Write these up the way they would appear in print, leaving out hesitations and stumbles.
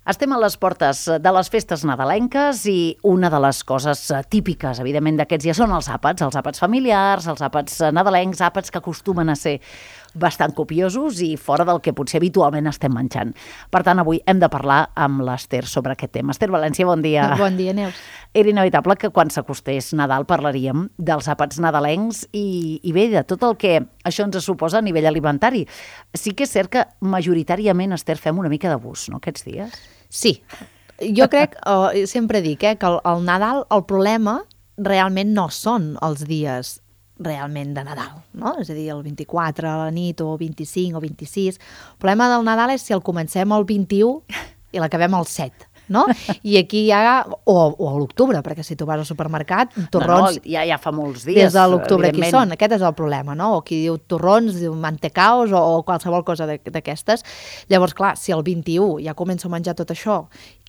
Estem a les portes de les festes nadalenques i una de les coses típiques, evidentment, d'aquests dies són els àpats familiars, els àpats nadalencs, àpats que acostumen a ser bastant copiosos i fora del que potser habitualment estem menjant. Per tant, avui hem de parlar amb l'Ester sobre aquest tema. Ester València, bon dia. Bon dia, Neus. Era inevitable que quan s'acostés Nadal parlaríem dels àpats nadalencs i bé, de tot el que això ens suposa a nivell alimentari. Sí que és cert que majoritàriament, Ester, fem una mica d'abús, no, aquests dies? Sí. Jo crec, sempre dic, que el Nadal, el problema realment no són els dies realment de Nadal, no? És a dir, el 24 a la nit o 25 o 26. El problema del Nadal és si el comencem el 21 i l'acabem el 7. No? I aquí ja, o a l'octubre, perquè si tu vas al supermercat, torrons... No, ja fa molts dies, des de l'octubre aquí són, aquest és el problema, no? O qui diu torrons, diu mantecaos o qualsevol cosa d'aquestes. Llavors, clar, si el 21 ja començo a menjar tot això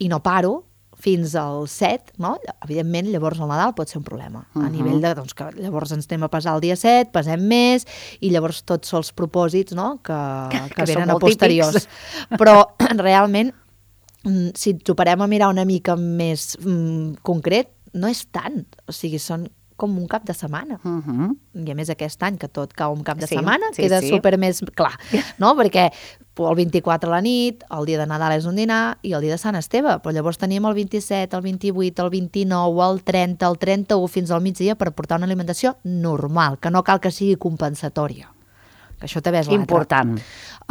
i no paro fins al 7, no? Evidentment, llavors el Nadal pot ser un problema. A nivell de, doncs, que llavors ens anem a pesar el dia 7, pesem més, i llavors tots els propòsits, no? que venen a posteriors. Però, realment, si ens ho parem a mirar una mica més concret, no és tant. O sigui, són com un cap de setmana. I a més aquest any, que tot cau un cap de setmana, queda super més clar, no? Perquè el 24 a la nit, el dia de Nadal és un dinar i el dia de Sant Esteve, però llavors tenim el 27, el 28, el 29, el 30, el 31 fins al migdia per portar una alimentació normal, que no cal que sigui compensatòria. Que això també és l'altre. Important.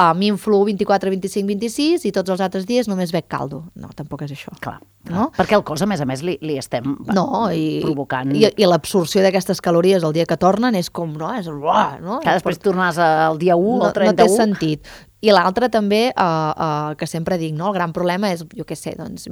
A mi influ 24, 25, 26 i tots els altres dies només bec caldo. No, tampoc és això. Clar. No? Perquè el cos, a més, li estem provocant... I l'absorció d'aquestes calories el dia que tornen és com, no? És, no? Que després tornes al dia 1 o 31. No té sentit. I l'altre també, que sempre dic, no? El gran problema és, jo què sé, doncs,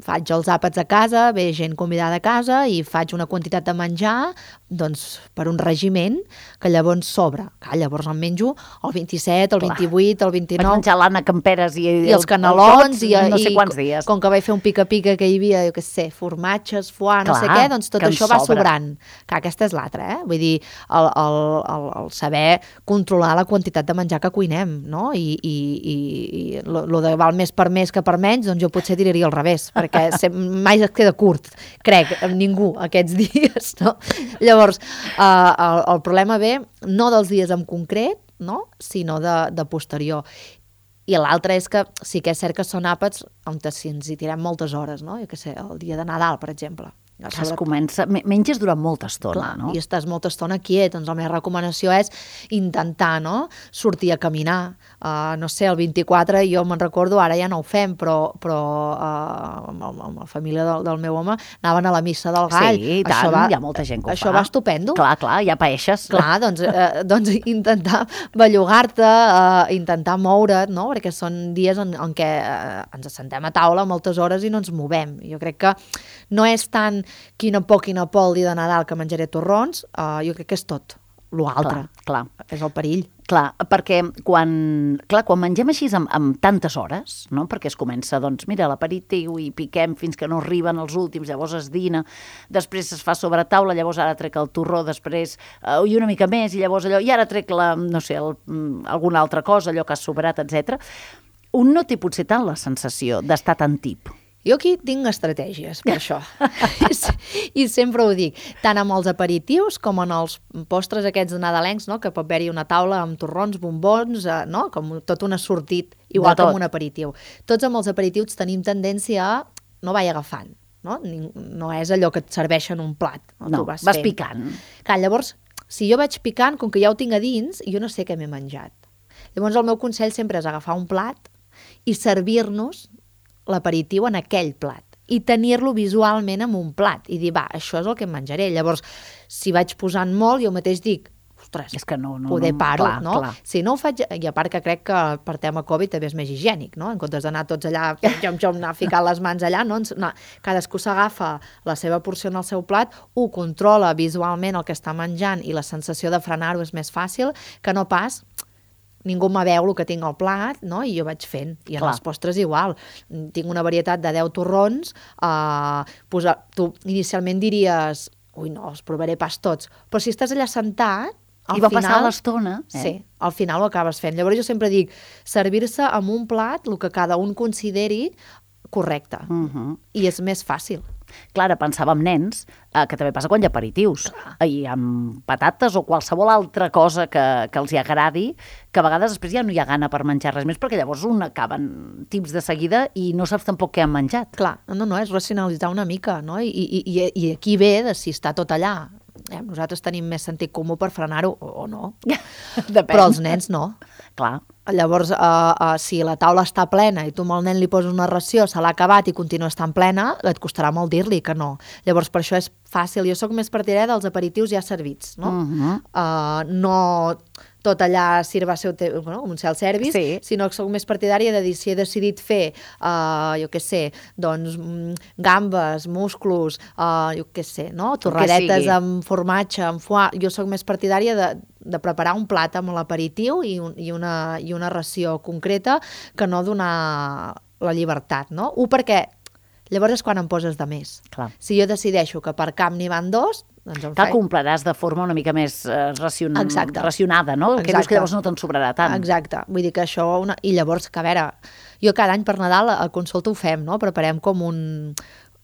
faig els àpats a casa, ve gent convidada a casa i faig una quantitat de menjar, doncs, per un regiment que llavors sobra. Llavors em menjo el 27, el 28, el 29... Vaig menjar l'Anna Camperes i els canelons i no sé quants dies. Com que vaig fer un pica-pica que hi havia, jo què sé, formatges, foie, no sé què, doncs tot això va sobrant. Aquesta és l'altra, Vull dir, el saber controlar la quantitat de menjar que cuinem, no? I lo de val més per més que per menys, doncs jo potser diria al revés, perquè mai es queda curt, crec, amb ningú aquests dies, no? Llavors, el problema ve no dels dies en concret, no? Sinó de posterior. I l'altre és que sí que és cert que són àpats on si ens hi tirem moltes hores, no? Jo què sé, el dia de Nadal, per exemple. Es comença, menges durant molta estona, no? I estàs molta estona quiet, doncs la meva recomanació és intentar, no?, sortir a caminar. No sé, el 24, jo me'n recordo, ara ja no ho fem, però amb la família del meu home anaven a la missa del Gall. Sí, i tant, hi ha molta gent que ho fa. Això va estupendo. Clar, ja paeixes. Clar, doncs intentar bellugar-te, intentar moure't, no?, perquè són dies en què ens assentem a taula moltes hores i no ens movem. Jo crec que no és tant quina por el dia de Nadal que menjaré torrons, jo crec que és tot. L'altre és el perill. Clar, perquè quan mengem així amb tantes hores, no? Perquè es comença, doncs, mira, l'aperitiu i piquem fins que no arriben els últims, llavors es dina, després es fa sobre taula, llavors ara trec el torró, després i una mica més, i llavors allò, i ara trec alguna altra cosa, allò que ha sobrat, etc. Un no té potser tant la sensació d'estar tan tip. Jo aquí tinc estratègies per això. I sempre ho dic, tant amb els aperitius com en els postres aquests nadalencs, no?, que pot haver-hi una taula amb torrons, bombons, no?, com tot un assortit, igual que amb un aperitiu. Tots amb els aperitius tenim tendència a no vaig agafant, no? No és allò que et serveixen un plat. No, vas picant. Clar, llavors, si jo vaig picant, com que ja ho tinc a dins, jo no sé què m'he menjat. Llavors el meu consell sempre és agafar un plat i servir-nos l'aperitiu en aquell plat i tenir-lo visualment en un plat i dir, això és el que em menjaré. Llavors, si vaig posant molt, jo mateix dic, ostres, és que no, poder paro, clar, no? Clar. Si no ho faig, i a part que crec que per tema Covid també és més higiènic, no? En comptes d'anar tots allà, anar ficant les mans allà, no, cadascú s'agafa la seva porció en el seu plat, ho controla visualment el que està menjant i la sensació de frenar-ho és més fàcil que no pas ningú me veu el que tinc al plat, no? I jo vaig fent. I en els postres igual. Tinc una varietat de 10 torrons. Tu inicialment diries, ui, no, els provaré pas tots. Però si estàs allà sentat, I va passar l'estona. Sí, al final ho acabes fent. Llavors jo sempre dic, servir-se amb un plat, el que cada un consideri correcte. I és més fàcil. Clar, pensava en nens, que també passa quan hi ha aperitius, i amb patates o qualsevol altra cosa que els hi agradi, que a vegades després ja no hi ha gana per menjar res més, perquè llavors un acaben tips de seguida i no saps tampoc què han menjat. Clar, no, és racionalitzar una mica, no? I aquí ve de si està tot allà. Nosaltres tenim més sentit comú per frenar-ho, o no. Depèn. Però els nens no. Clar. Llavors, si la taula està plena i tu amb el nen li poses una ració, se l'ha acabat i continua estant plena, et costarà molt dir-li que no. Llavors, per això és fàcil. Jo sóc més partidària dels aperitius ja servits, no? No tot allà sirva com un self-service, sinó que soc més partidària de dir si he decidit fer, jo què sé, doncs gambes, musclos, jo què sé, no? Torradetes amb formatge, amb foie. Jo soc més partidària de preparar un plat amb l'aperitiu i una ració concreta que no donar la llibertat, no? perquè llavors és quan em poses de més. Clar. Si jo decideixo que per camp n'hi van 2, doncs em faig. Compraràs de forma una mica més racionada, no? Que dius que llavors no te'n sobrarà tant. Exacte. Vull dir que això... I llavors, que a veure, jo cada any per Nadal a consulta ho fem, no? Preparem com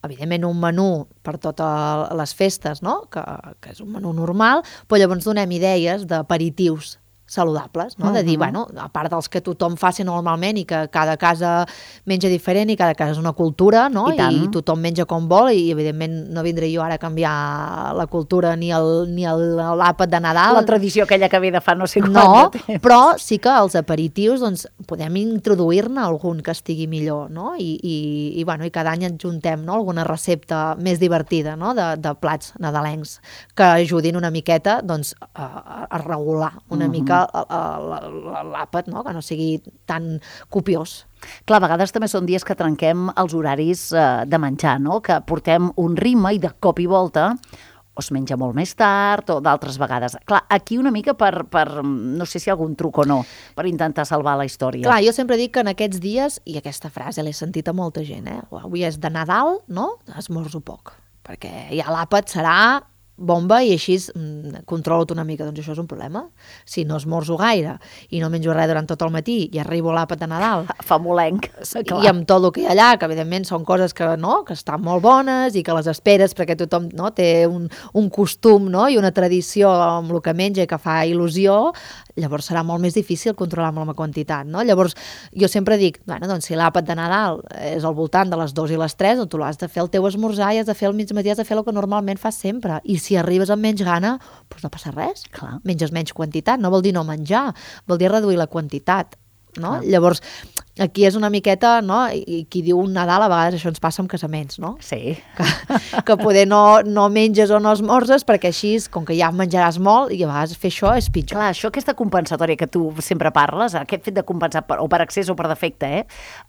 evidentment un menú per totes les festes, no? Que és un menú normal, però llavors donem idees d'aperitius saludables, no? De dir, bueno, a part dels que tothom faci normalment i que cada casa menja diferent i cada casa és una cultura, no? I tothom menja com vol i evidentment no vindré jo ara a canviar la cultura ni l'àpat de Nadal. La tradició aquella que ve de fa no sé quant de temps. Però sí que els aperitius, doncs, podem introduir-ne algun que estigui millor, no? I cada any adjuntem, no? Alguna recepta més divertida, no? De plats nadalencs que ajudin una miqueta, doncs, a regular una mica l'àpat, no? Que no sigui tan copiós. Clar, a vegades també són dies que trenquem els horaris de menjar, no? Que portem un ritme i de cop i volta o es menja molt més tard o d'altres vegades. Clar, aquí una mica per no sé si hi ha algun truc o no, per intentar salvar la història. Clar, jo sempre dic que en aquests dies, i aquesta frase l'he sentit a molta gent, avui és de Nadal, no? Esmorzo poc, perquè ja l'àpat serà bomba i així controlo-te una mica. Doncs això és un problema. Si no esmorzo gaire i no menjo res durant tot el matí i arribo a l'àpat de Nadal... Famolenc. I amb tot el que hi ha allà, que evidentment són coses que estan molt bones i que les esperes perquè tothom té un costum, no? I una tradició amb el que menja i que fa il·lusió, llavors serà molt més difícil controlar amb la quantitat, no? Llavors jo sempre dic, doncs si l'àpat de Nadal és al voltant de les 2 i les 3, doncs tu l'has de fer el teu esmorzar i has de fer el migmatí, has de fer el que normalment fas sempre. I si arribes amb menys gana, doncs no passa res. Clar. Menges menys quantitat, no vol dir no menjar, vol dir reduir la quantitat. No? Llavors, aquí és una miqueta, no? I qui diu un Nadal, a vegades això ens passa amb casaments, no? Sí. Que poder no menges o no esmorzes, perquè així, com que ja menjaràs molt, i a vegades fer això és pitjor. Clar, això, aquesta compensatòria que tu sempre parles, aquest fet de compensar o per excés o per defecte,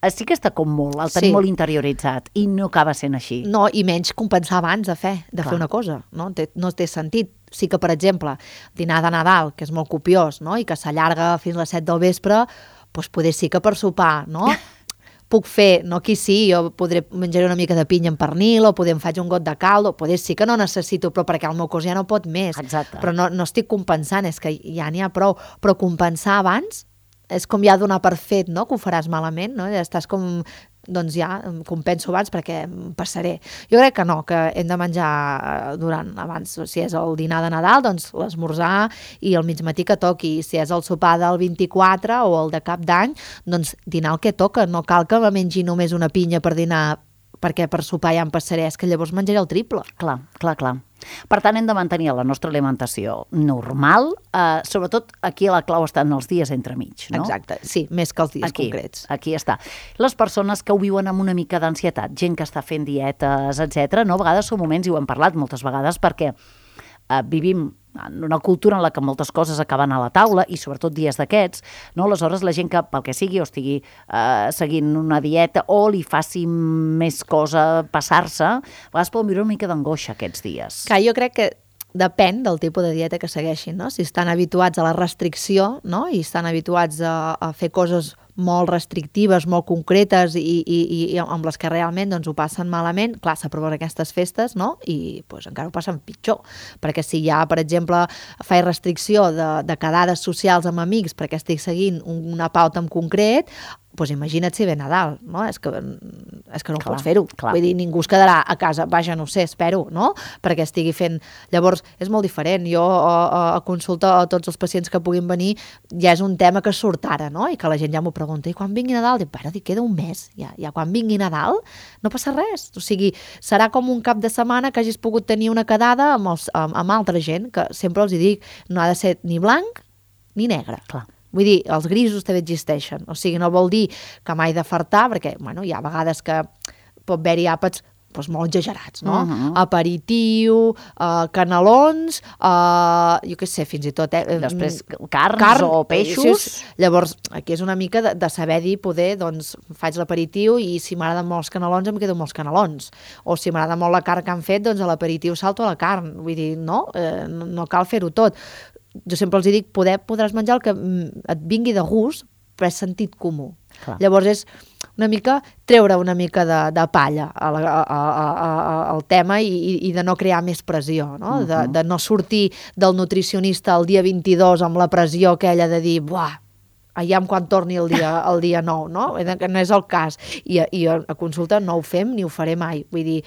sí que està com molt, el tenim molt interioritzat, i no acaba sent així. No, i menys compensar abans de fer una cosa, no? No té sentit. Sí que, per exemple, dinar de Nadal, que és molt copiós, no? I que s'allarga fins a les 7 del vespre, doncs poder sí que per sopar, no? Puc fer, no aquí sí, jo menjaré una mica de pinya amb pernil, o poder em faig un got de caldo, poder sí que no necessito, però perquè el meu cos ja no pot més. Exacte. Però no estic compensant, és que ja n'hi ha prou. Però compensar abans és com ja donar per fet, no? Que ho faràs malament, no? Ja estàs com... doncs ja compenso abans perquè em passaré. Jo crec que no, que hem de menjar abans, si és el dinar de Nadal, doncs l'esmorzar i el migmatí que toqui. Si és el sopar del 24 o el de Cap d'Any, doncs dinar el que toca. No cal que me mengi només una pinya per dinar, perquè per sopar ja em passaré, és que llavors menjaré el triple. Clar. Per tant, hem de mantenir la nostra alimentació normal, sobretot aquí la clau està en els dies entremig, no? Exacte, sí, més que els dies concrets. Aquí està. Les persones que ho viuen amb una mica d'ansietat, gent que està fent dietes, etc., no? A vegades són moments, i ho hem parlat moltes vegades, perquè vivim en una cultura en la que moltes coses acaben a la taula i sobretot dies d'aquests, no? Aleshores la gent que pel que sigui o estigui seguint una dieta o li faci més cosa passar-se, a vegades poden viure una mica d'angoixa aquests dies. Clar, jo crec que depèn del tipus de dieta que segueixin, no? Si estan habituats a la restricció, no? I estan habituats a fer coses molt restrictives, molt concretes i amb les que realment doncs, ho passen malament, clar, s'aproven aquestes festes, no? I doncs, encara ho passen pitjor, perquè si ja, per exemple, faig restricció de quedades socials amb amics perquè estic seguint una pauta en concret, doncs imagina't si ve Nadal, no? És que és que no Clar, pots fer-ho. clar. Vull dir, ningú es quedarà a casa, vaja, no sé, espero, no? Perquè estigui fent... Llavors, és molt diferent. Jo a consulta a tots els pacients que puguin venir ja és un tema que surt ara, no? I que la gent ja m'ho pregunta. I quan vingui Nadal? Dic, bueno, queda un mes. Ja quan vingui Nadal no passa res. O sigui, serà com un cap de setmana que hagis pogut tenir una quedada amb altra gent, que sempre els hi dic, no ha de ser ni blanc ni negre. Clar. Vull dir, els grisos també existeixen. O sigui, no vol dir que m'hai de fartar, perquè bueno, hi ha vegades que pot haver-hi àpats doncs, molt exagerats, no? Aperitiu, canelons, jo què sé, fins i tot... Després, carn o peixos. Llavors, aquí és una mica de saber dir, poder, doncs, faig l'aperitiu i si m'agraden molt els canelons, em quedo amb els canelons. O si m'agrada molt la carn que han fet, doncs a l'aperitiu salto a la carn. Vull dir, no, no cal fer-ho tot. Jo sempre els dic, podràs menjar el que et vingui de gust, però és sentit comú. Clar. Llavors és una mica treure una mica de palla al tema i de no crear més pressió, no? De no sortir del nutricionista el dia 22 amb la pressió aquella de dir, buah, aviam quan torni el dia 9, no? Que no és el cas. I a consulta no ho fem ni ho faré mai. Vull dir,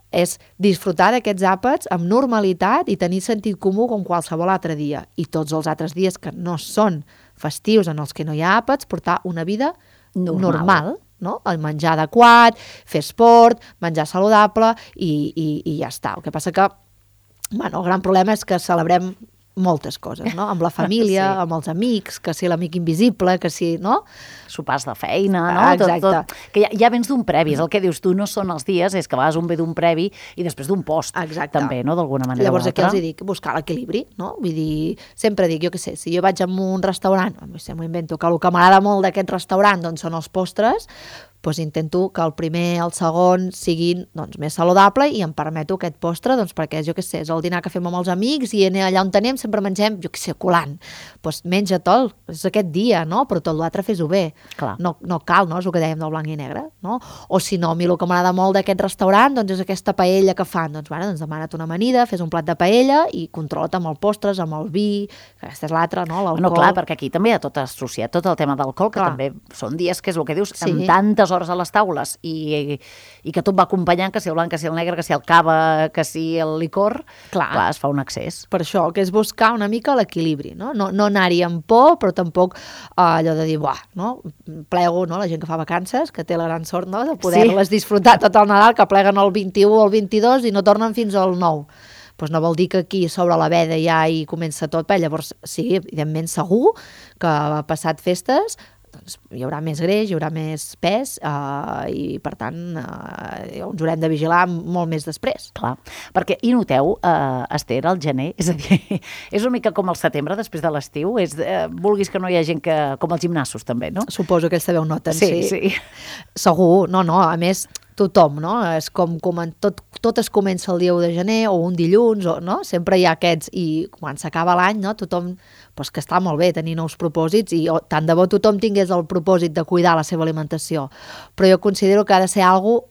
és disfrutar d'aquests àpats amb normalitat i tenir sentit comú com qualsevol altre dia. I tots els altres dies que no són festius en els que no hi ha àpats, portar una vida normal, no? El menjar adequat, fer esport, menjar saludable i ja està. El que passa que, bueno, el gran problema és que celebrem moltes coses, no? Amb la família, amb els amics, que si l'amic invisible, que si, no? Sopars de feina, no? Exacte. Tot, que ja vens d'un previ, és el que dius tu, no són els dies, és que a vegades un ve d'un previ i després d'un post, també, no? D'alguna manera Llavors o altra. aquí els dic, buscar l'equilibri, no? Vull dir, sempre dic, jo què sé, si jo vaig a un restaurant, m'ho invento, que el que m'agrada molt d'aquest restaurant doncs són els postres, doncs intento que el primer, el segon siguin doncs, més saludable i em permeto aquest postre doncs, perquè jo què sé, és el dinar que fem amb els amics i allà on anem sempre mengem, jo què sé, colant. Doncs menja-te'l, és aquest dia, no? Però tot l'altre fes-ho bé. No cal, no? És el que dèiem del blanc i negre, no? O si no, a mi el que m'agrada molt d'aquest restaurant doncs és aquesta paella que fan. Doncs, bueno, doncs demana't una amanida, fes un plat de paella i controla't amb els postres, amb el vi, que aquesta és l'altra, no? L'alcohol. No, clar, perquè aquí també hi ha tot associat, tot el tema d'alcohol, que també són dies que és el que dius, amb tantes hores a les taules i que tot va acompanyant, que si el blanc, que si el negre, que si el cava, que si el licor, clar, es fa un excés. Per això, que és buscar una mica l'equilibri, no? No anar-hi amb por, però tampoc allò de dir, buah, no? Plego, no? La gent que fa vacances, que té la gran sort, no? De poder-les disfrutar tot el Nadal, que pleguen el 21 o el 22 i no tornen fins al 9. Doncs no vol dir que aquí sobre la veda ja hi comença tot, però llavors sí, evidentment segur que passat festes doncs hi haurà més greix, hi haurà més pes i per tant ens haurem de vigilar molt més després. Clar, perquè hi noteu, Esther, al gener, és a dir, és una mica com el setembre després de l'estiu, vulguis que no hi ha gent que, com els gimnasos també, no? Suposo que ells també ho noten, sí. Segur, no, a més tothom, no? És com tot es comença el dia 1 de gener o un dilluns, no? Sempre hi ha aquests, i quan s'acaba l'any, no? Tothom, doncs que està molt bé tenir nous propòsits i tant de bo tothom tingués el propòsit de cuidar la seva alimentació, però jo considero que ha de ser alguna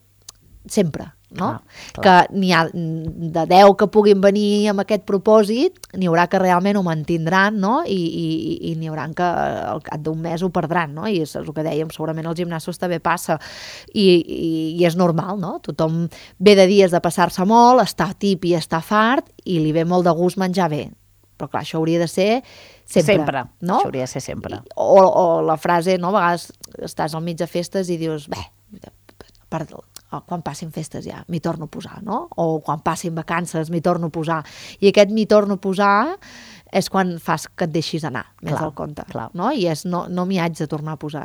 sempre, no? Clar. Que n'hi ha de 10 que puguin venir amb aquest propòsit, n'hi haurà que realment ho mantindran, no? I n'hi haurà que al cap d'un mes ho perdran, no? I és el que dèiem, segurament als gimnasos també passa i és normal, no? Tothom ve de dies de passar-se molt, està tip i està fart i li ve molt de gust menjar bé, però clar, això hauria de ser sempre, no? Això hauria de ser sempre. O la frase, no? A vegades estàs al mig de festes i dius, quan passin festes ja m'hi torno a posar, no? O quan passin vacances m'hi torno a posar. I aquest m'hi torno a posar és quan fas que et deixis anar més del compte, no? I és no m'hi haig de tornar a posar.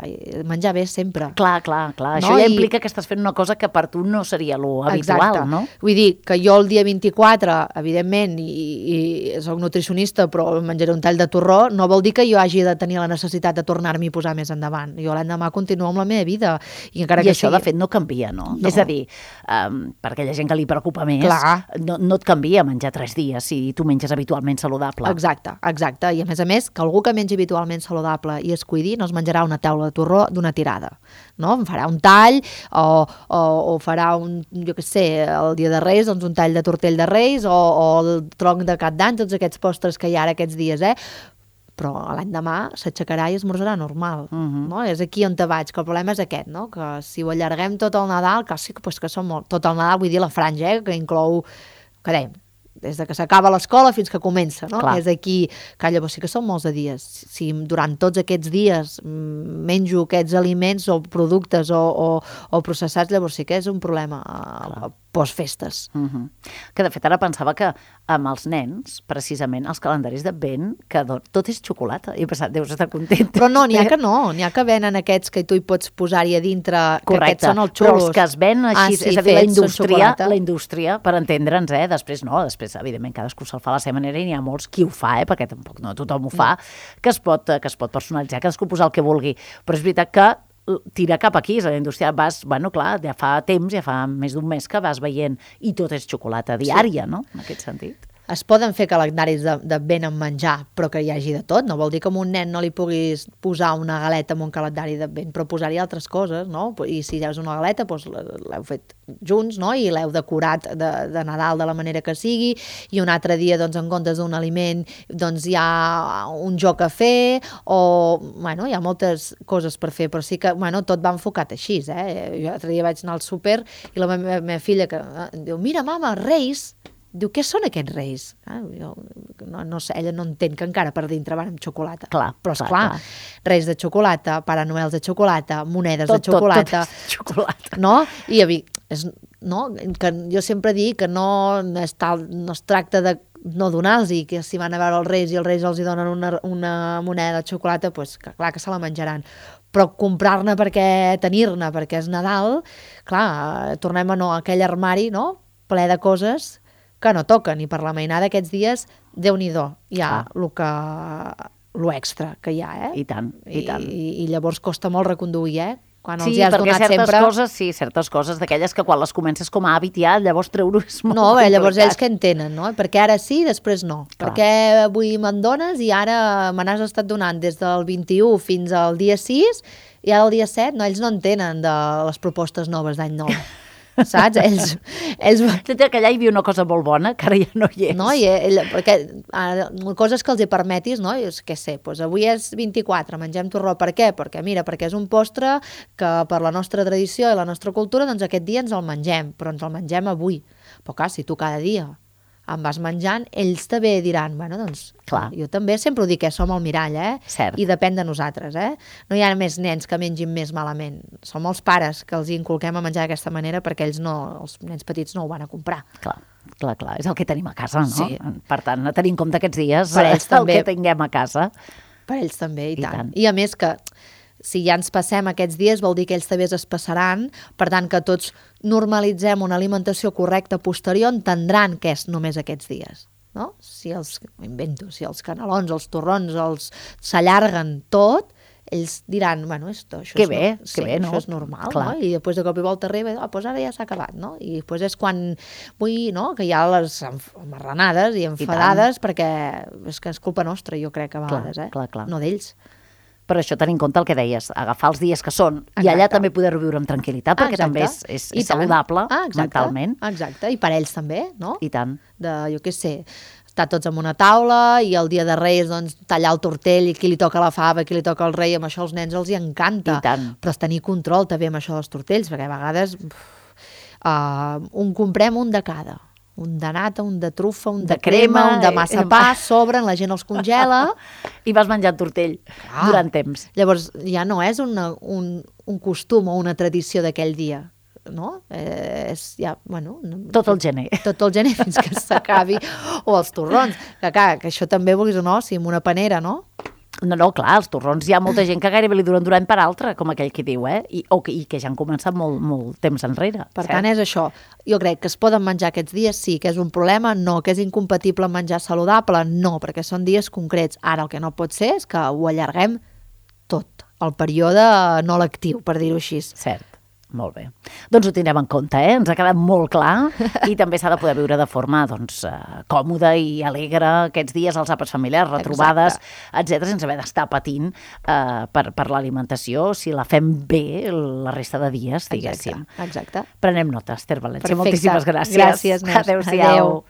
Menjar bé sempre. Clar. No? Això ja implica que estàs fent una cosa que per tu no seria lo habitual, no? Vull dir que jo el dia 24, evidentment, i soc nutricionista, però menjaré un tall de torró, no vol dir que jo hagi de tenir la necessitat de tornar-m'hi a posar més endavant. Jo l'endemà continuo amb la meva vida. I això, de fet, no canvia, no? És a dir, per aquella gent que li preocupa més, no et canvia menjar 3 dies si tu menges habitualment saludable. Exacte. I a més, que algú que mengi habitualment saludable i es cuidi no es menjarà una taula de torró d'una tirada, no? Em farà un tall o farà jo què sé, el dia de Reis, doncs un tall de tortell de Reis o el tronc de cap d'any, tots aquests postres que hi ha ara aquests dies, però l'endemà s'aixecarà i esmorzarà normal, no? És aquí on te vaig, que el problema és aquest, no? Que si ho allarguem tot el Nadal, que sí que són molt... Tot el Nadal, vull dir la franja, que inclou, que dèiem, des de que s'acaba l'escola fins que comença, no? Clar. És aquí, que llavors sí que són molts de dies. Si durant tots aquests dies menjo aquests aliments o productes o processats, llavors sí que és un problema postfestes. Que de fet ara pensava que amb els nens, precisament, els calendaris d'Advent, que tot és xocolata. I he pensat, deus estar content. Però no, n'hi ha que venen aquests que tu hi pots posar-hi a dintre, que aquests són els xulos. Però els que es ven així, sí, és a dir, la indústria, per entendre'ns, després no, després, evidentment, cadascú se'l fa a la seva manera i n'hi ha molts qui ho fa, perquè tampoc no tothom ho fa, que es pot personalitzar, cadascú posar el que vulgui. Però és veritat que tira cap aquí, és a la indústria, clar, ja fa temps, ja fa més d'un mes que vas veient i tot és xocolata diària, no?, en aquest sentit. Es poden fer calendaris d'Advent amb menjar, però que hi hagi de tot. No vol dir que a un nen no li puguis posar una galeta en un calendari d'Advent, però posar-hi altres coses, no? I si ja és una galeta, doncs l'heu fet junts, no? I l'heu decorat de Nadal de la manera que sigui, i un altre dia, doncs, en comptes d'un aliment, doncs hi ha un joc a fer, o, bueno, hi ha moltes coses per fer, però sí que, bueno, tot va enfocat així, Jo l'altre dia vaig anar al súper i la meva filla que diu, mira, mama, Reis. Diu, què són aquests Reis? Jo no sé, ella no entén que encara per dintre van amb xocolata. Però esclar, Reis de xocolata, Pare Noel de xocolata, monedes de xocolata. Tot xocolata. No? I que jo sempre dic que no es tracta de no donar-los, i que si van a veure els Reis i els Reis els hi donen una moneda de xocolata, doncs clar que se la menjaran. Però comprar-ne tenir-ne perquè és Nadal, clar, tornem a aquell armari, no?, ple de coses que no toquen, i per la mainada aquests dies, Déu-n'hi-do, hi ha lo extra que hi ha, I tant, i tant. I llavors costa molt reconduir, quan els hi has donat sempre... certes coses d'aquelles que quan les comences com a hàbit ja, llavors treure-ho és molt complicat. No, llavors ells que entenen, no? Perquè ara sí, després no. Perquè avui me'n dones i ara me n'has estat donant des del 21 fins al dia 6 i ara el dia 7, no, ells no entenen de les propostes noves d'any nou. Saps? Ells... Que allà hi havia una cosa molt bona, que ara ja no hi és. No, perquè coses que els hi permetis, no? Què sé, doncs avui és 24, mengem torró. Per què? Perquè és un postre que per la nostra tradició i la nostra cultura, doncs aquest dia ens el mengem, però ens el mengem avui. Però clar, si tu cada dia em vas menjant, ells també diran, bueno, doncs, jo també sempre ho dic, som el mirall, Cert. I depèn de nosaltres, No hi ha més nens que mengin més malament. Som els pares que els inculquem a menjar d'aquesta manera perquè ells no, els nens petits no ho van a comprar. Clar, és el que tenim a casa, no? Sí. Per tant, a tenir en compte aquests dies per ells també, el que tinguem a casa. Per ells també, i tant. I a més que si ja ens passem aquests dies vol dir que ells també es passaran, per tant que tots normalitzem una alimentació correcta posterior, entendran que és només aquests dies, no? Si els canelons, els torrons s'allarguen tot, ells diran, bueno, això és normal, no? I després de cop i volta arriba, doncs ara ja s'ha acabat, no? I després és quan vull, no?, que hi ha les amarranades i enfadades, perquè és que és culpa nostra, jo crec, a vegades, no d'ells. Per això tenir en compte el que deies, agafar els dies que són i allà també poder-ho viure amb tranquil·litat, perquè també és saludable mentalment. Exacte, i per ells també, no? I tant. Jo què sé, estar tots en una taula i el dia de Reis, doncs, tallar el tortell i qui li toca la fava, qui li toca el rei, amb això als nens els hi encanta. I tant. Però és tenir control també amb això dels tortells, perquè a vegades comprem un de cada. Un de nata, un de trufa, un de crema, un de massapà, sobren, la gent els congela. I vas menjant tortell durant temps. Llavors ja no és un costum o una tradició d'aquell dia, no? És ja, bueno... Tot el gener. Tot el gener fins que s'acabi. O els torrons, que això també vulguis o no, si amb una panera, no? No, clar, els torrons hi ha molta gent que gairebé li duren d'un any per altre, com aquell que diu, I que ja han començat molt temps enrere. Per tant, és això. Jo crec que es poden menjar aquests dies, sí, que és un problema, no, que és incompatible menjar saludable, no, perquè són dies concrets. Ara el que no pot ser és que ho allarguem tot, el període no lectiu, per dir-ho així. Cert. Molt bé. Doncs ho tindrem en compte, ens ha quedat molt clar i també s'ha de poder viure de forma còmoda i alegre aquests dies, els àpats familiars, retrobades, etc., sense haver d'estar patint per l'alimentació, si la fem bé la resta de dies, diguéssim. Exacte. Prenem nota, Esther València. Perfecte. Moltíssimes gràcies. Gràcies, Neus. Adéu-siau.